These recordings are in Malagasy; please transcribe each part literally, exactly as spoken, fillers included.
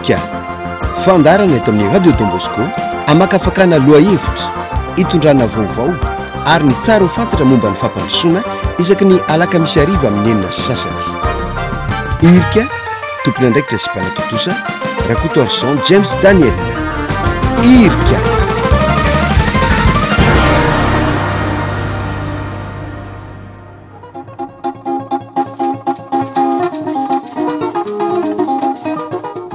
Irika, fandaharana eto amin'ny Radio Don Bosco hamakafakana lohahevitra, hitondrana vaovao ary ny tsara ho fantatra momba ny fampandrosoana isaky ny alakamisy hariva amin'ny enina sy sasany. Irika, tompon'andraikitra sy mpanatontosa, Rakotoarison James Daniel. Irika.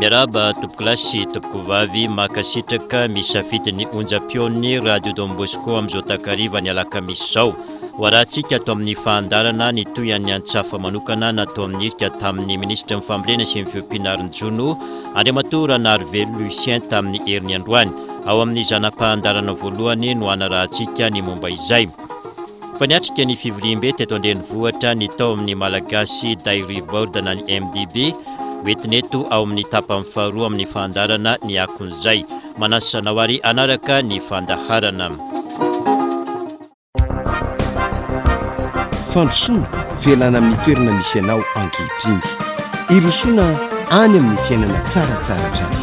Miarahaba tompokolahy sy tompokovavy, mankasitraka misafidy ny onjam-peon'ny Radio Don Bosco amin'izao takariva ny alakamisy izao. Ho arahantsika ato amin'ny fahandarana ny tohian'ny antsafa manokana natao amin'ny irika tamin'ny minisitry ny fambolena sy ny fiompiana ary ny jono, Andriamatoa Ranarivelo Lucien tamin'ny heriny androany. Ao amin'ny zana-pahandarana voalohany no hanarahantsika ny momba izay. Fa niatrika ny fivoriambe teto an-drenivohitra ny tao amin'ny Malagasy Dairy Board na ny M D B, hoentina eto ao amin'ny tapany faharoa amin'ny fandaharana ny akon'izay. Manasa anao ary hanaraka ny fandaharana. Fandrosoana, fialana amin'ny toerana misy anao ankehitriny. Irosoana any amin'ny fiainana tsaratsara hatrany.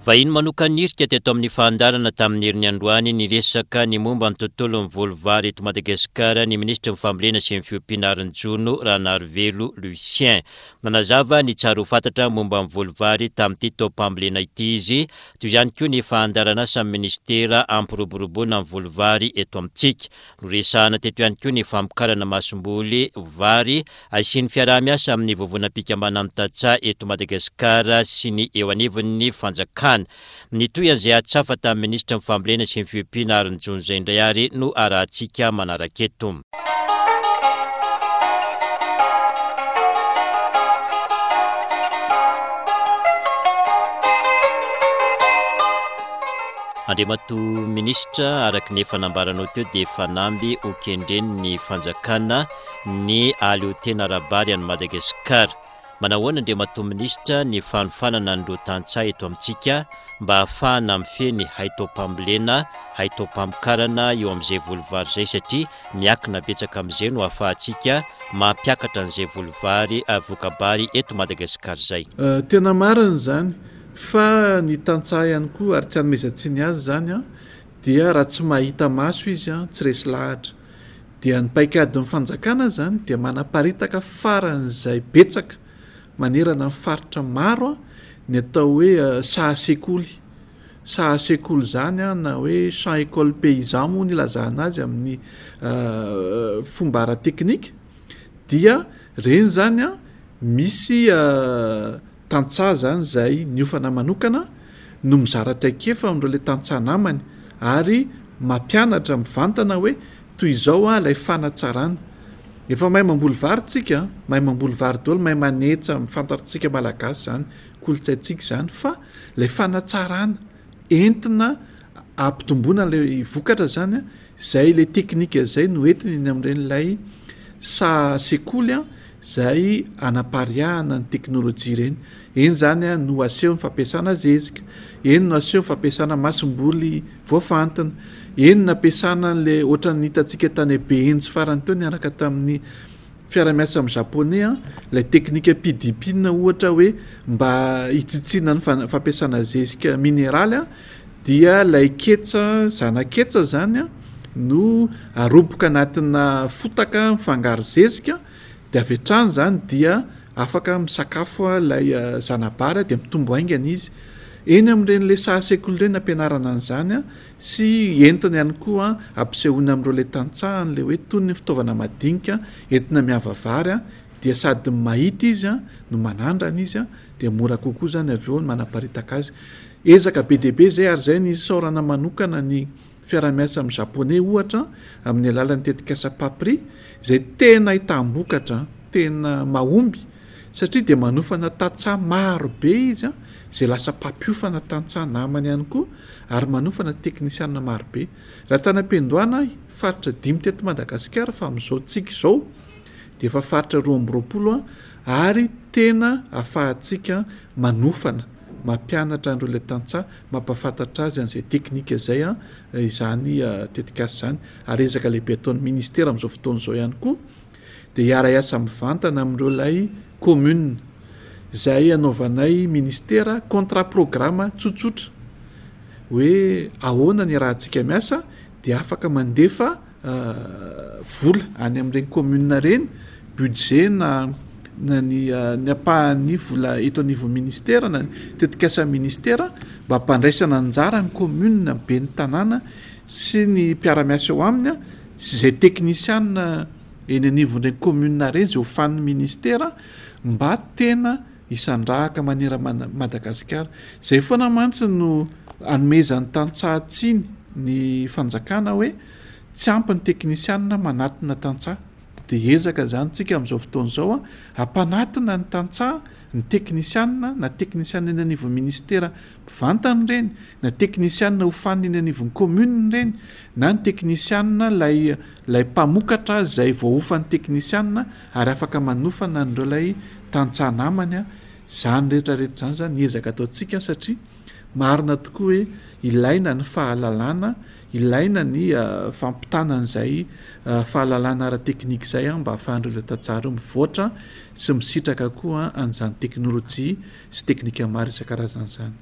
Vahiny manokana irika teto amin'ny fandaharana tamin'ny heriny androany niresaka ny momba ny tontolon'ny voly vary eto Madagasikara ny minisitry ny fambolena sy ny fiompiana ary ny jono Ranarivelo Lucien. Nanazava ny tsara ho fantatra momba ny voly vary tamin'ity taom-pambolena ity izy, toy izany koa ny fandaharana samy minisitera hampiroboroboana ny voly vary eto amintsika. Noresahana teto ihany koa ny famokarana masomboly vary asian'ny fiaraha-miasa amin'ny vovonam-pikambanan'ny tantsaha eto Madagasikara sy ny eo anivon'ny fanjakana. Nitohy an'izay hatsafa tamin'ny minisitry ny fambolena sy ny fiompiana ary ny jono izay indray ary no arahantsika manaraka eto. Andriamatoa minisitra, araka ny efa nambaranao teo dia fanamby ho kendren'ny fanjakana ny aleotena ara-bary any Madagasikara. Manahoana Andriamatoa minisitra ny fanofanana an'ireo tantsaha eto amintsika mba hahafahana mifehy ny haitaom-pambolena, haitaom-pamokarana eo amin'izay voly vary izay, satria miankina betsaka amin'izay no ahafahantsika mampiakatra an'izay voly vary, eh, voka-bary eto Madagasikara izay. Eh, tena marina izany, fa ny tantsaha ihany koa, ary tsy hanomezan-tsiny azy izany, an, dia raha tsy mahita maso izy, an, tsy resy lahatra. Dia ny paikadin'ny fanjakana izany dia manaparitaka faran'izay betsaka manerana ny faritra maro, an, ny atao hoe, eh, saha sekoly. Saha sekoly izany, an, na hoe champ école paysan moa ny ilazana azy amin'ny, eh, fomba ara-teknika, dia ireny izany, an, misy, eh, tantsaha izany izay niofana manokana no mizara traikefa amin'ireo ilay tantsaha namany ary mampianatra mivantana hoe toy izao, an, ilay fanatsarana. Efa mahay mamboly vary tsika, mahay mamboly vary daholo, mahay manetsa, fantatsika malagasy izany, kolontsaintsika izany, fa ilay fanatsarana entina ampitomboana ilay vokatra izany, an, izay ilay teknika izay no entina eny amin'ireny ilay saha sekoly, an, izay anapariahana ny teknolojia ireny. Eny izany, an, no aseho ny fampiasana zezika, eny no aseho ny fampiasana masomboly voafantina, eny no ampiasana an'ilay ohatran'ny hitantsika tany Behenjy farany teo niaraka tamin'ny fiara-miasa amin'ny japonais, an, ilay teknika P D P na ohatra hoe mba hitsitsiana ny fan-, fampiasana zezika mineraly, an, dia ilay ketsa, zana-ketsa izany, an, no aroboka anatina fotaka mifangaro zezika, dia avy hatrany izany dia afaka misakafo ilay zana-bary dia mitombo haingana izy. Eny amin'ireny ilay saha sekoly ireny ampianarana an'izany, an, sy entina ihany koa ampisehoana amin'ireo ilay tantsaha an'ilay hoe toy ny fitaovana madinika entina miava vary, an, dia sady mahita izy, an, no manandrana izy, an, dia mora kokoa izany avy eo ny manaparitaka azy. Ezaka be dia be izay, ary izay ny isaorana manokana ny fiaraha-miasa amin'ny japonais ohatra amin'ny alalan'ny tetikasa PAPRI izay tena ahitam-bokatra, tena mahomby, satria dia manofana tantsaha maro be izy, an, izay lasa mpampiofana tantsaha namany ihany koa, ary manofana teknisiana maro be. Raha tany am-piandohana ahy, faritra dimy teto Madagasikara, fa amin'izao tsika izao dia efa faritra roa amby roapolo, an, ary tena ahafahantsika manofana, mampianatra an'ireo ilay tantsaha, mampahafantatra azy an'izay teknika izay, an, izany tetikasa izany, ary ezaka lehibe ataon'ny ministera amin'izao fotoana izao ihany koa dia hiara-hiasa mivantana amin'ireo ilay commune izay anaovanay ministera contrat programme tsotsotra hoe ahoana ny iarahantsika miasa, dia afaka mandefa vola any amin'ireny commune ireny, budget na na ny ny ampahan'ny vola eto anivon'ny ministera na ny tetikasan'ny ministera mba hampandraisana anjara ny commune ben'ny tanàna sy ny mpiara-miasa eo aminy sy izay teknisiana eny anivon'ireny commune ireny izay hofanin'ny ministera mba tena hisandrahaka manerana Madagasikara. Izay foana mantsy no anomezan'ny tantsaha tsiny ny fanjakana hoe tsy ampy ny teknisiana manatona tantsaha. Dia ezaka izany tsika amin'izao fotoana izao hampanatona ny tantsaha, ny teknisiana, na teknisiana eny anivon'ny ministera mivantana ireny, na teknisiana hofanina eny anivon'ny commune ireny, na ny teknisiana ilay, ilay mpamokatra izay voahofan'ny teknisiana ary afaka manofana an'ireo ilay tantsaha namany. Izany rehetra rehetra izany izany ny ezaka ataontsika satria marina tokoa hoe ilaina ny fahalalana, ilaina ny fampitana an'izay fahalalana ara-teknika izay mba ahafahan'ireo ilay tantsaha ireo mivoatra sy misitraka koa an'izany teknolojia sy teknika maro isan-karazany izany.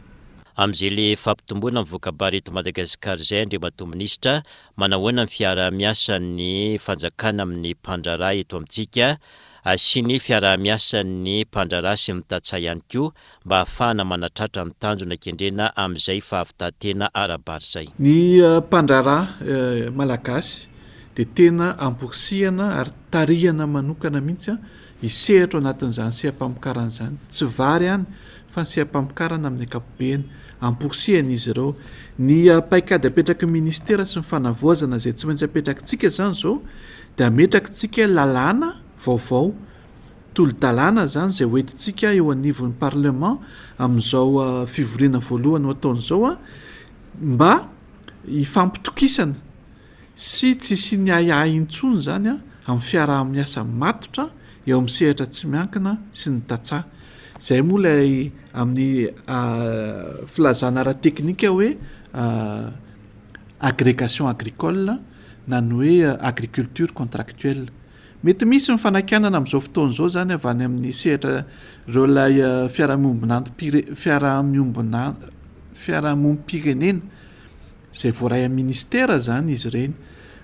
Amin'izay le fampitomboana ny voka-bary eto Madagasikara izay, Andriamatoa Minisitra, manahoana ny fiaraha-miasan'ny fanjakana amin'ny mpandraharaha eto amintsika sy ny fiaraha-miasan'ny mpandraharaha sy ny tantsaha ihany koa mba ahafahana manatratra ny tanjona kendrena amin'izay fahavitan-tena ara-bary izay? Ny mpandraharaha malagasy dia tena amporisihana ary tarihana manokana mihitsy hisehatra ao anatin'izany seha-pamokarana izany. Tsy vary ihany fa ny seha-pamokarana amin'ny ankapobeny amporisihana izy ireo. Ny paikady apetraky ny ministera sy ny fanavaozana izay tsy maintsy apetrakitsika izany izao dia ametrakitsika lalàna vaovao, tolo-dalàna izany izay hoentintsika eo anivon'ny parlement amin'izao fivoriana voalohany ho ataon'izao mba hifampitokisana sy tsy hisian'ny ahiahy intsony izany amin'ny fiaraha-miasa matotra eo amin'ny sehatra tsy miankina sy ny tantsaha. Izay moa ilay amin'ny filazana ara-teknika hoe agrégation agricole na ny hoe agriculture contractuelle. Mety misy ny fanakianana amin'izao fotoana izao izany avy any amin'ny sehatra ireo ilay fiaraha-miombonantom-pire-, fiaraha-miombona-, fiarahamonim-pirenena izay voaray amin'ny ministera izany izy ireny,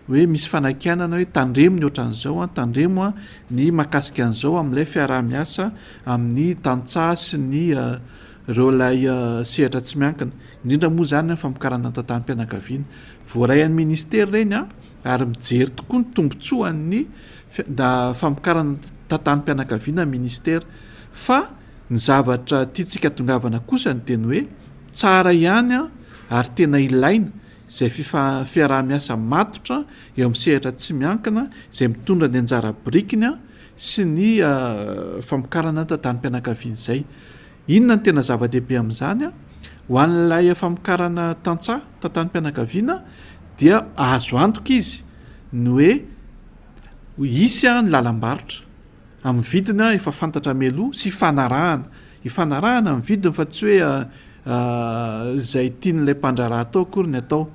hoe misy fanakianana hoe tandremo ny ohatran'izao, tandremo ny mahakasika an'izao amin'ilay fiaraha-miasa amin'ny tantsaha sy ny ireo ilay sehatra tsy miankina, indrindra moa izany ny famokarana tantanim-pianakaviana. Voaray amin'ny ministera ireny ary mijery tokoa ny tombontsoan'ny da famokarana tantanim-pianakaviana ministera. Fa ny zavatra tiantsika tongavana kosa ny teny hoe tsara ihany ary tena ilaina izay fifa-, fiaraha-miasa matotra eo amin'ny sehatra tsy miankina izay mitondra ny anjara birikiny sy ny famokarana tantanim-pianakaviana izay. Inona ny tena zava-dehibe amin'izany? Ho an'ilay famokarana tantsaha tantanim-pianakaviana dia azo antoka izy ny hoe hisy ny lalam-barotra amin'ny vidiny efa fantatra mialoha sy ifanarahana, ifanarahana amin'ny vidiny fa tsy hoe izay tian'ilay mpandraharaha atao akory ny atao,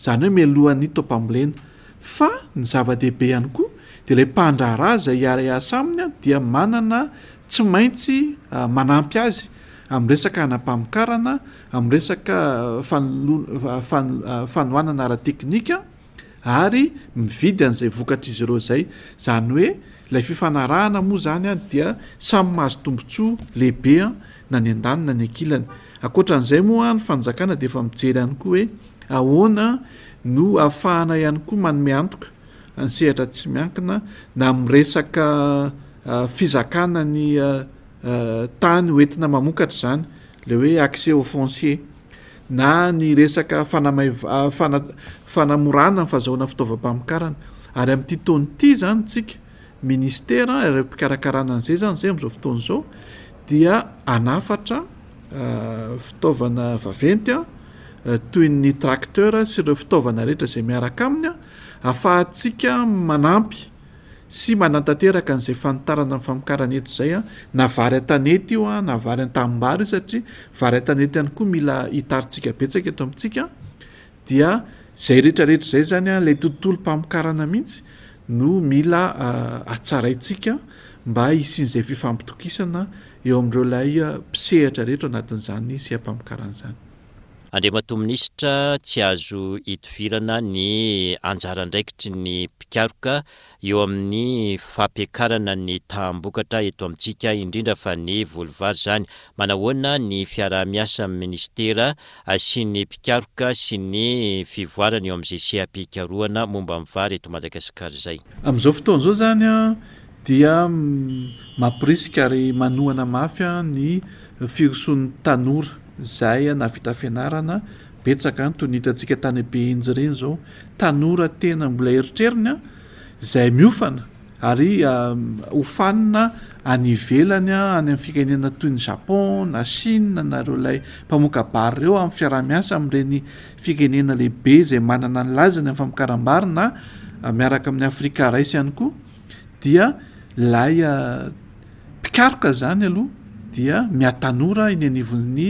izany hoe mialohan'ny taom-pambolena. Fa ny zava-dehibe ihany koa dia ilay mpandraharaha izay hiara-hiasa aminy dia manana tsy maintsy manampy azy amin'ny resaka hanam-pamokarana, amin'ny resaka fanolo-, fan-, fanohanana ara-teknika ary mividy an'izay vokatr'izy ireo izay. Izany hoe ilay fifanarahana moa izany dia samy mahazo tombontsoa lehibe na ny andaniny na ny ankilany. Ankoatran'izay moa ny fanjakana dia efa mijery ihany koa hoe ahoana no ahafahana ihany koa manome antoka ny sehatra tsy miankina na amin'ny resaka fizakana ny tany hoentina mamokatra izany, ilay hoe accès au foncier, na ny resaka fanamaiv-, fana-, fanamorana ny fahazahoana fitaovam-pamokarana. Ary amin'ity taona ity izany tsika ministera ireo mpikarakarana an'izay izany izay amin'izao fotoana izao dia hanafatra fitaovana vaventy toy ny tracteur sy ireo fitaovana rehetra izay miaraka aminy ahafahantsika manampy sy manatanteraka an'izay fanitarana ny famokarana eto izay, na vary an-tanety io na vary an-tanimbary io, satria vary an-tanety ihany koa mila hitarintsika betsaka eto amintsika. Dia izay rehetrarehetra izay izany ilay tontolom-pamokarana mihitsy no mila hatsaraintsika mba hisian'izay fifampitokisana eo amin'ireo ilay mpisehatra rehetra ao anatin'izany seha-pamokarana izany. Andriamatoa Minisitra, tsy azo itovirana ny anjara andraikitry ny mpikaroka eo amin'ny fampiakarana ny taham-bokatra eto amintsika, indrindra fa ny voly vary izany. Manahoana ny fiaraha-miasa amin'ny minisitera sy ny mpikaroka sy ny fivoarana eo amin'izay seha-pikarohana momba ny vary eto Madagasikara izay? Amin'izao fotoana izao izany dia mamporisika ary manohana mafy ny firosoan'ny tanora izay nahavita fianarana betsaka, toy ny hitantsika tany Behenjy ireny izao, tanora tena mbola eritreriny izay miofana ary hofanina any ivelany, any amin'ny firenena toy ny Japon na Chine na ireo ilay mpamoaka bary ireo, amin'ny fiaraha-miasa amin'ireny firenena lehibe izay manana ny lazany amin'ny famokaram-bary na miaraka amin'ny Afrika Rice ihany koa, dia ilay mpikaroka izany aloha dia mihatanora eny anivon'ny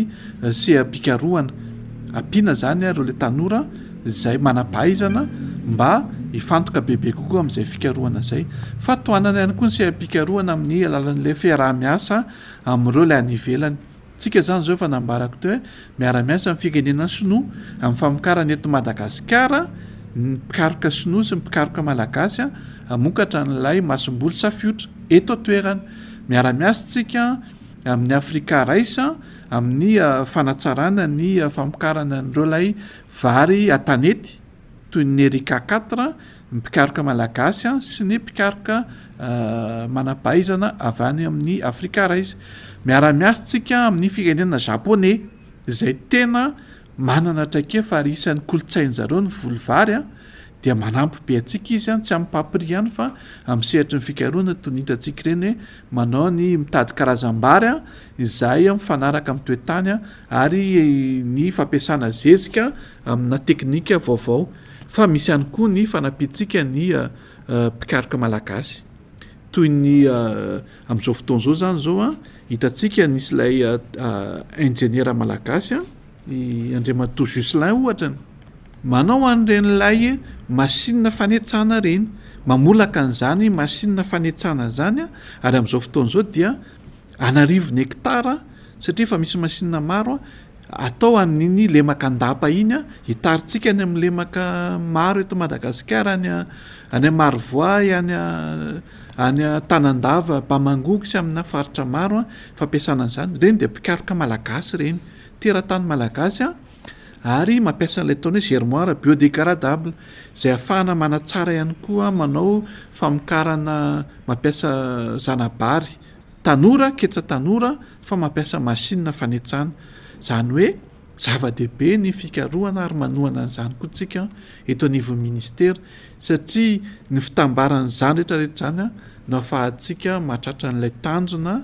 seha-pikarohana. Ampiana izany ireo ilay tanora izay manam-pahaizana mba hifantoka bebe kokoa amin'izay fikarohana izay. Fa tohanana ihany koa ny seha-pikarohana amin'ny alalan'ilay fiaraha-miasa amin'ireo ilay any ivelany. Tsika izany izao efa nambarako teo hoe miara-miasa amin'ny firenena sinoa amin'ny famokarana eto Madagasikara, ny mpikaroka sinoa sy ny mpikaroka malagasy hamokatra an'ilay masomboly safiotra eto an-toerana. Miara-miasa tsika amin'ny Afrika Rice amin'ny fanatsarana ny famokarana an'ireo ilay vary an-tanety toy ny Erika quatre, ny mpikaroka malagasy sy ny mpikaroka manam-pahaizana avy any amin'ny Afrika Rice. Miara-miasa tsika amin'ny firenena japonais izay tena manana traikefa ary isan'ny kolontsain-jareo ny voly vary, dia manampy be antsika izy, tsy amin'ny papri ihany fa amin'ny sehatry ny fikarohana toy ny hitantsika ireny hoe manao ny mitady karazam-bary izay mifanaraka amin'ny toetany ary ny fampiasana zezika amina teknika vaovao. Fa misy ihany koa ny fanampiantsika ny mpikaroka malagasy toy ny amin'izao fotoana izao zany izao hitantsika nisy ilay injeniera malagasy i Andriamatoa Juselin ohatra manao an'ireny ilay machine fanetsana ireny, mamolaka an'izany machine fanetsana izany, ary amin'izao fotoana izao dia an'arivony hektara satria efa misy machine maro atao amin'iny lemaka Andapa iny, hitaritsika any amin'ny lemaka maro eto Madagasikara, any any Marovoay, any any Tanandava, Bamangoky sy amina faritra maro fampiasana an'izany. Ireny dia mpikaroka malagasy ireny, teratany malagasy ary mampiasa an'ilay ataony hoe germoire biodégradable izay ahafahana manatsara ihany koa manao famokarana mampiasa zanabary tanora, ketsa tanora, fa mampiasa machine fanetsana. Izany hoe zava-dehibe ny fikarohana ary manohana an'izany koa tsika eto anivon'ny ministera, satria ny fitambaran'izany rehetrarehetra izany no ahafahantsika mahatratra an'ilay tanjona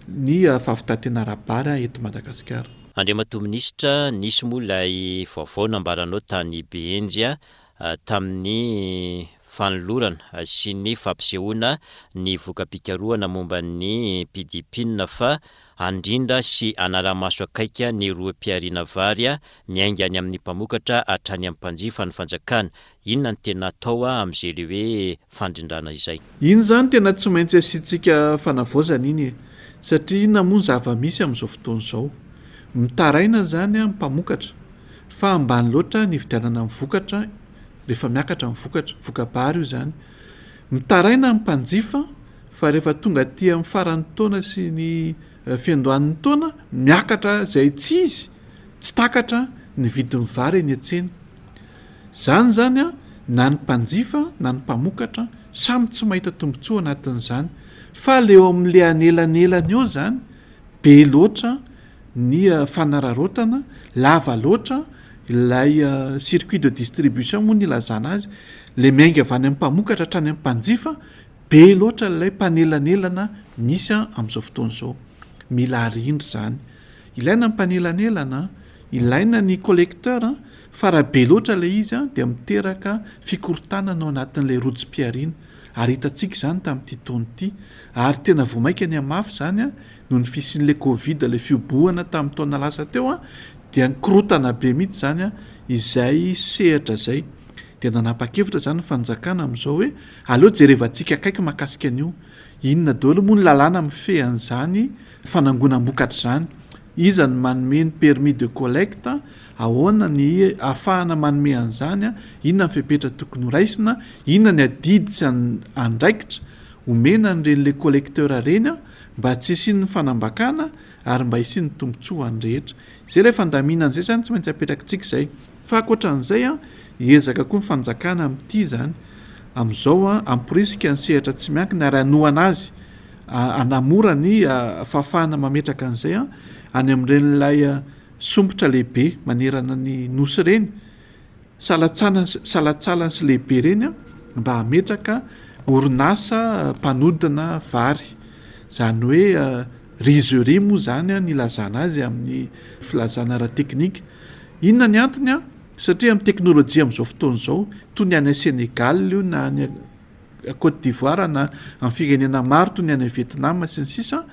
ny fahavitan-tena ara-bary eto Madagasikara. Andriamatoa Minisitra, nisy moa ilay vaovao nambaranao tany Behenjy tamin'ny fanolorana sy ny fampisehoana ny voka-pikarohana momba ny P D P I N fa handrindra sy hanara-maso akaiky ny rohim-pihariana vary miainga any amin'ny mpamokatra hatrany amin'ny mpanjifa ny fanjakana. Inona no tena atao amin'izay le hoe fandrindrana izay? Iny izany tena tsy maintsy asiantsika fanavaozana iny e, satria inona moa ny zava-misy amin'izao fotoana izao? Mitaraina izany ny mpamokatra fa ambany loatra ny fividianana ny vokatra rehefa miakatra ny vokatra, voka-bary io izany. Mitaraina ny mpanjifa fa rehefa tonga aty amin'ny faran'ny taona sy ny fiandohan'ny taona miakatra izay tsy izy, tsy takatra ny vidin'ny vary eny an-tsena. Izany izany a, na ny mpanjifa na ny mpamokatra samy tsy mahita tombontsoa anatin'izany, fa le eo amin'le anelanelany eo izany be loatra ny fanararaotana, lava loatra ilay circuit de distribution moa ny ilazana azy, le miainga avy any amin'ny mpamokatra hatrany amin'ny mpanjifa, be loatra ilay mpanelanelana misy amin'izao fotoana izao. Mila arindra izany. Ilaina ny mpanelanelana, ilaina ny collecteur, fa raha be loatra ilay izy dia miteraka fikorontanana ao anatin'ilay rojom-pihariana. Ary hitantsika izany tamin'ity taona ity. Ary tena vao mainka ny hamafy izany noho ny fisian'ilay Covid, ilay fihobohana tamin'ny taona lasa teo, dia nikorotana be mihitsy izany izay sehatra izay. Dia nanapa-kevitra izany ny fanjakana amin'izao hoe aleo jerevantsika akaiky mahakasika an'io. Inona daholo moa ny lalàna mifehy an'izany fanangonam-bokatra izany? Iza no manome ny permis de collecte? Ahoana ny ahafahana manome an'izany? Inona ny fepetra tokony horaisina? Inona ny adidy sy andraikitra omena an'ireny le collecteur ireny mba tsy hisian'ny fanambakana ary mba hisian'ny tombontsoa ho an'ny rehetra? Izay ilay fandaminana izay izany tsy maintsy apetrakitsika izay. Fa ankoatran'izay, hiezaka koa ny fanjakana amin'ity izany. Amin'izao, hamporisika ny sehatra tsy miankina ary hanohana azy, hanamora ny fahafahana mametraka an'izay any amin'ireny ilay sompitra lehibe manerana ny nosy ireny, salatsalany salatsalany sy lehibe ireny mba hametraka orinasa mpanodina vary. Izany hoe rizerie moa izany ny ilazana azy amin'ny filazana ara-teknika. Inona ny antony? Satria amin'ny teknolojia amin'izao fotoana izao, toy ny any Sénégal io na any Côte d'Ivoire na amin'ny firenena maro toy ny any Vietnam sy ny sisa,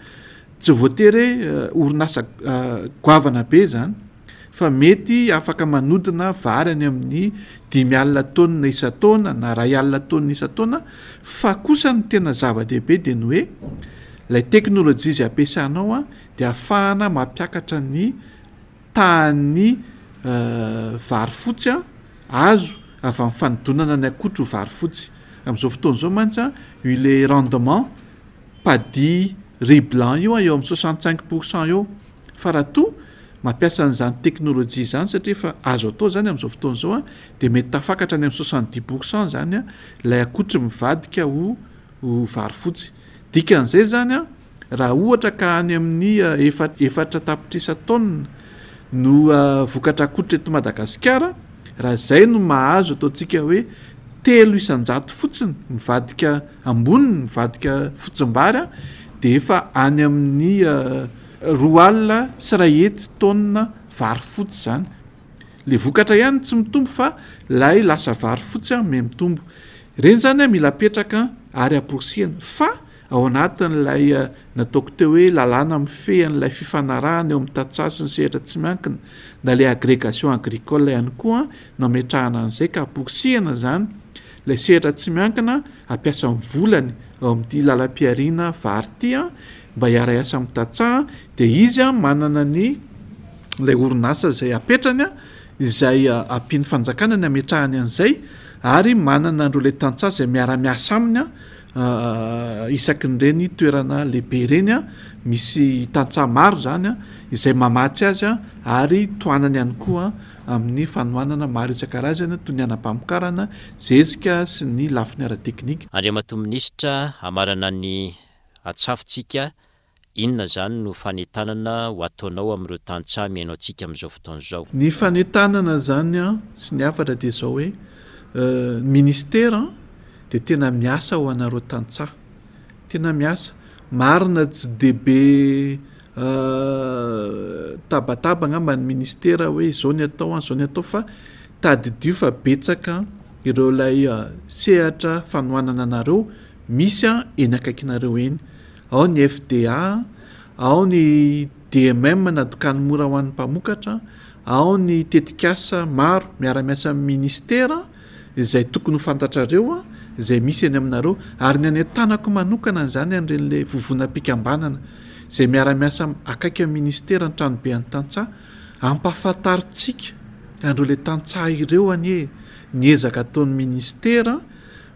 tsy voatery hoe orinasa goavana be izany fa mety afaka manodina vary any amin'ny dimy alina taonina isan-taona na iray alina taonina isan-taona, fa kosa ny tena zava-dehibe dia ny hoe ilay teknolojia izay ampiasanao dia ahafahana mampiakatra ny tahan'ny vary fotsy azo avy amin'ny fanodonana ny akotry ho vary fotsy. Amin'izao fotoana izao mantsy io ilay rendement paddy riz blanc io eo amin'ny soixante cinq pour cent eo. Fa raha toa mampiasa an'izany teknolojia izany, satria efa azo atao izany amin'izao fotoana izao, dia mety tafakatra any amin'ny soixante dix pour cent izany ilay akotry mivadika ho ho vary fotsy. Dikan'izay izany, raha ohatra ka any amin'ny efa-, efatra tapitrisa taonina no vokatra akotry eto Madagasikara, raha izay no mahazo ataontsika hoe telo isan-jato fotsiny mivadika amboniny, mivadika fotsimbary, dia efa any amin'ny roa alina sy iray hetsy taonina vary fotsy izany. Le vokatra ihany tsy mitombo fa lay lasa vary fotsy miha mitombo. Ireny izany mila apetraka ary amporisihana fa ao anatin'ilay nataoko teo hoe lalàna mifehy an'ilay fifanarahana eo amin'ny tantsaha sy ny sehatra tsy miankina na ilay agrégation agricole ihany koa no ametrahana an'izay ka amporisihana izany ilay sehatra tsy miankina hampiasa ny volany ao amin'ity lalam-pihariana vary ity mba hiara-hiasa amin'ny tantsaha, dia izy manana ny ilay orinasa izay apetrany izay ampian'ny fanjakana ny ametrahany an'izay ary manana an'ireo ilay tantsaha izay miara-miasa aminy isaky ny ireny toerana lehibe ireny, misy tantsaha maro izany izay mamatsy azy ary tohanany ihany koa amin'ny fanohanana maro isan-karazany toy ny anam-pamokarana, zezika sy ny lafiny ara-teknika. Andriamatoa Minisitra, hamarana ny atsafotsika, inona izany no fanentanana ho ataonao amin'ireo tantsaha mihaino antsika amin'izao fotoana izao? Ny fanentanana izany sy ny hafatra dia izao hoe, ny ministera dia tena miasa ho anareo tantsaha, tena miasa. Marina tsy dia be tabataba angamba ny ministera hoe izao ny atao, izao ny atao, fa tadidio fa betsaka ireo ilay sehatra fanohanana anareo misy eny akaikinareo eny. Ao ny F D A, ao ny D M M na dokany mora ho an'ny mpamokatra, ao ny tetikasa maro miara-miasa amin'ny ministera izay tokony ho fantatrareo, izay misy eny aminareo, ary ny anentanako manokana an'izany an'ireny ilay vovonam-pikambanana izay miara-miasa akaiky amin'ny ministera ny tranobe an'ny tantsaha, ampahafantarintsika an'ireo ilay tantsaha ireo anie ny ezaka ataon'ny ministera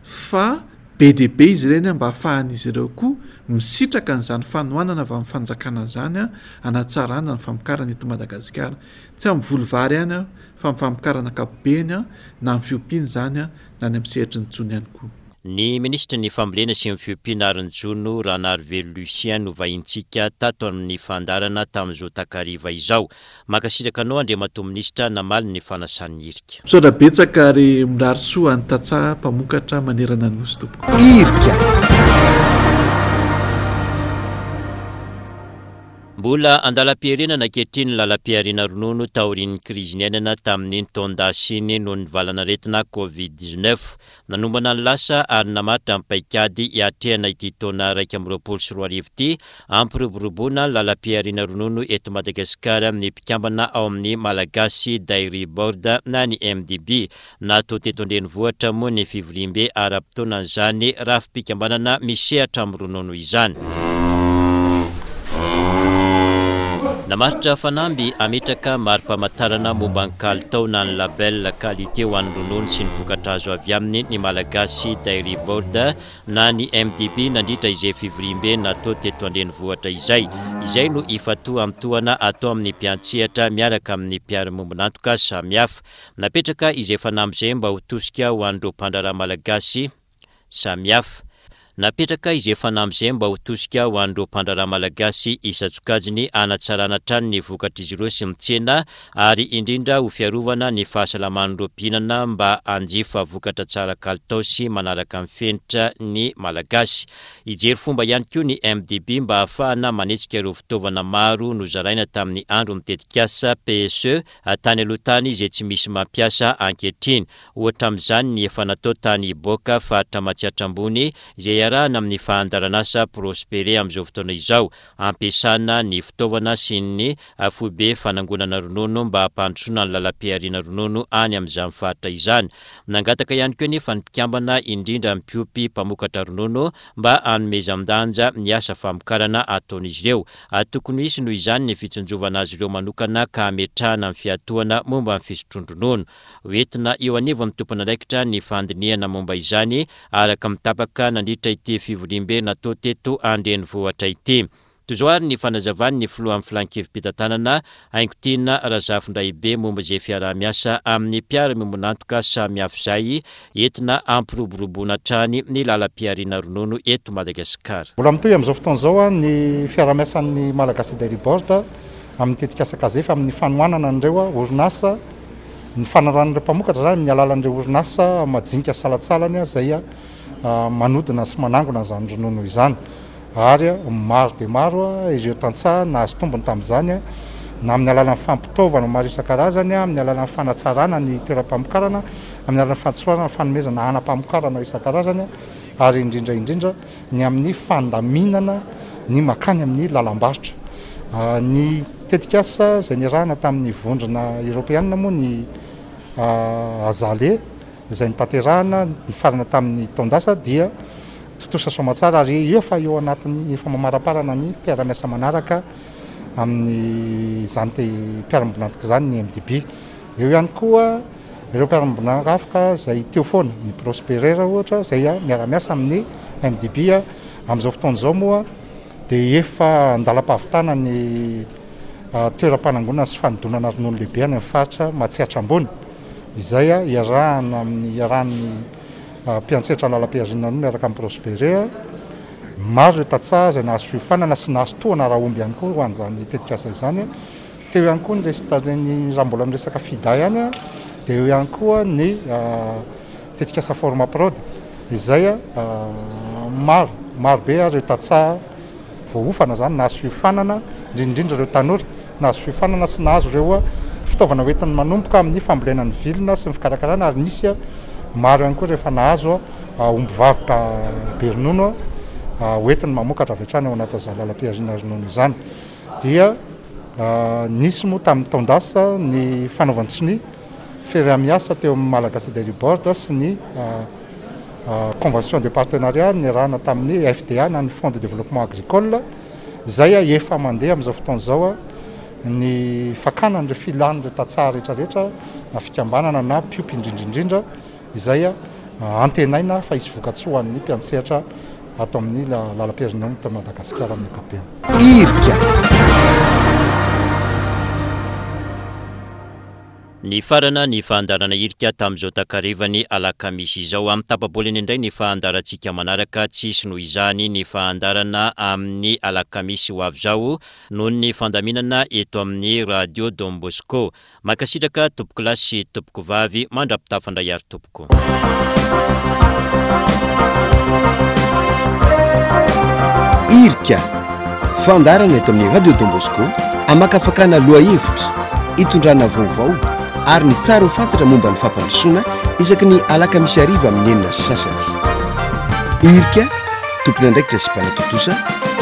fa be dia be izy ireny mba hahafahan'izy ireo koa misitraka an'izany fanohanana avy amin'ny fanjakana izany hanatsarana ny famokarana eto Madagasikara. Tsy amin'ny voly vary ihany fa amin'ny famokarana ankapobeny na amin'ny fiompiana izany na any amin'ny sehatry ny jono ihany koa. Ny minisitry ny fambolena sy ny fiompiana ary ny jono, Ranarivelo Lucien, no vahintsika tato amin'ny fandaharana tamin'izao takariva izao. Mankasitraka anao Andriamatoa Minisitra namaly ny fanasan'ny Irika. Misaotra betsaka ary mirary soa an'ny tantsaha mpamokatra manerana ny Nosy tompoko. Irika. Mbola Mbola andalam-piherenana ankehitriny ny lalam-pihariana ronono taorian'ny krizy niainana tamin'iny taon-dasa iny noho ny valanaretina Covid dix-neuf. Nanombana ny lasa ary namaritra ny paikady hiatrehana ity taona iraika amby roapolo sy roa arivo ity hampiroboroboana ny lalam-pihariana ronono eto Madagasikara ny mpikambana ao amin'ny Malagasy Dairy Board na ny M D B. Natao teto an-drenivohitra moa ny fivoriambe ara-potoanan'izany rafi-pikambanana misehatra amin'ny ronono izany. Namaritra fanamby hametraka mari-pamantarana momba ny kalitao na ny label qualité ho an'ny ronono sy ny vokatra azo avy aminy ny Malagasy Dairy Board na ny M D B nandritra izay fivoriambe natao teto an-drenivohitra izay. Izay no ifatohantohana atao amin'ny mpiantsehatra miaraka amin'ny mpiara-miombon'antoka samihafa. Napetraka izay fanamby izay mba ho tosika ho an'ireo mpandraharaha malagasy samihafa. Napetraka izay fanamby izay mba ho tosika ho an'ireo mpandraharaha malagasy isan-tsokajiny hanatsarana hatrany ny vokatr'izy ireo sy ny tsena ary indrindra ho fiarovana ny fahasalaman'ireo mpihinana mba hanjifa vokatra tsara kalitao sy manaraka ny fenitra ny malagasy. Hijery fomba ihany koa ny M D B mba hahafahana manetsika ireo fitaovana maro nozaraina tamin'ny andro ny tetikasa P S E tany aloha tany izay tsy misy mampiasa ankehitriny. Ohatra amin'izany ny efa natao tany Iboaka faritra Matsiatra Ambony izay iarahana amin'ny fandaharanasa Prospere amin'izao fotoana izao, ampiasana ny fitaovana sy ny foibe fanangonana ronono mba hampandrosoana ny lalam-pihariana ronono any amin'izany faritra izany. Nangataka ihany koa nefa ny mpikambana indrindra ny mpiompy mpamokatra ronono mba hanomezan-danja ny asa famokarana ataon'izy ireo. Tokony hisy noho izany ny fitsinjovana azy ireo manokana ka hametrahana ny fiatohana momba ny fisotroan-dronono. Hoentina eo anivon'ny tompon'andraikitra ny fandinihana momba izany araka mitapaka nandritra ity fivoriambe natao teto an-drenivohitra ity. Toy izao ary ny fanazavany ny filohan'ny filan-kevi-pitantanana Haingotiana Razafindraibe momba izay fiaraha-miasa amin'ny mpiara-miombon'antoka samihafa izay entina hampiroboroboana hatrany ny lalam-pihariana ronono eto Madagasikara. Mbola mitohy amin'izao fotoana izao ny fiaraha-miasan'ny Malagasy Dairy Board amin'ny tetikasa Kazefa amin'ny fanohanana an'ireo orinasa, ny fanaran'ireo mpamokatra izany amin'ny alalan'ireo orinasa majinika salantsalany izay manodina sy manangona izany ronono izany. Ary maro dia maro ireo tantsaha nahazo tombony tamin'izany, na amin'ny alalan'ny fampitaovana maro isan-karazany, amin'ny alalan'ny fanatsarana ny toeram-pamokarana, amin'ny alalan'ny fantsoarana fanomezana hanam-pamokarana isan-karazany, ary indrindra indrindra ny amin'ny fandaminana ny makany amin'ny lalam-barotra. Ny tetikasa izay niarahana tamin'ny vondrona eoropeanina moa ny Azale izay notanterahana nifarana tamin'ny taon-dasa dia tontosa soamantsara ary efa eo anatin'ny efa mamaraparana ny mpiara-miasa manaraka amin'izany mpiara-miombon'antoka izany ny M D B. Eo ihany koa ireo mpiara-miombon'antoka izay teo foana, ny Prosperer ohatra izay miara-miasa amin'ny M D B amin'izao fotoana izao moa dia efa andalam-pahavitana ny toeram-panangonana sy fanodonana ronono lehibe any amin'ny faritra Matsiatra Ambony izay iarahana amin'ny iarahan'ny mpiantsetra lalam-pihariana ronono miaraka amin'ny Prosperer. Maro ireo tantsaha izay nahazo fiofanana sy nahazo tohana ara-omby ihany koa ho an'izany tetikasa izany. Teo ihany koa ny resaka, ny raha mbola miresaka FIDA ihany, dia eo ihany koa ny tetikasa Forma Prod izay maro, maro be ireo tantsaha voaofana izany nahazo fiofanana, indrindra ireo tanora nahazo fiofanana sy nahazo ireo fitaovana hoentiny manomboka amin'ny fambolena ny vilona sy ny fikarakarana, ary nisy maro ihany koa rehefa nahazo omby vavy be ronono hoentiny mamokatra avy hatrany ao anatin'izany lalam-pihariana ronono izany. Dia nisy moa tamin'ny taon-dasa ny fanaovan-tsonia fiaraha-miasa teo amin'ny Malagasy Dairy Board sy ny convention de partenariat niarahana tamin'ny F D A na ny Fonds de développement agricole izay efa mandeha amin'izao fotoana izao ny fakana an'ireo filan'ireo tantsaha rehetrarehetra na fikambanana na mpiompy indrindrindrindra izay antenaina fa hisy vokatsoa ho an'ny mpiantsehatra ato amin'ny lalam-pihariana eto Madagasikara amin'ny ankapobeny. Irika. Nifarana ny fandaharana Irika tamin'izao takarivany alakamisy izao. Amin'ny tapa-bolana indray ny fandaharantsika manaraka, tsy hisy noho izany ny fandaharana amin'ny alakamisy ho avy izao noho ny fandaminana eto amin'ny Radio Don Bosco. Mankasitraka tompoko lahy sy tompoko vavy, mandra-pitafandray ary tompoko. Irika, Fandaharana eto amin'ny Radio Don Bosco amakafakana lohahevitra, itondrana vaovao ary ny tsara ho fantatra momba ny fampandrosoana isaky ny alakamisy hariva amin'ny enina sy sasany. Irika, tompon'andraikitra sy mpanatontosa,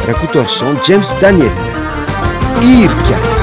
Rakotoarison James Daniel. Irika.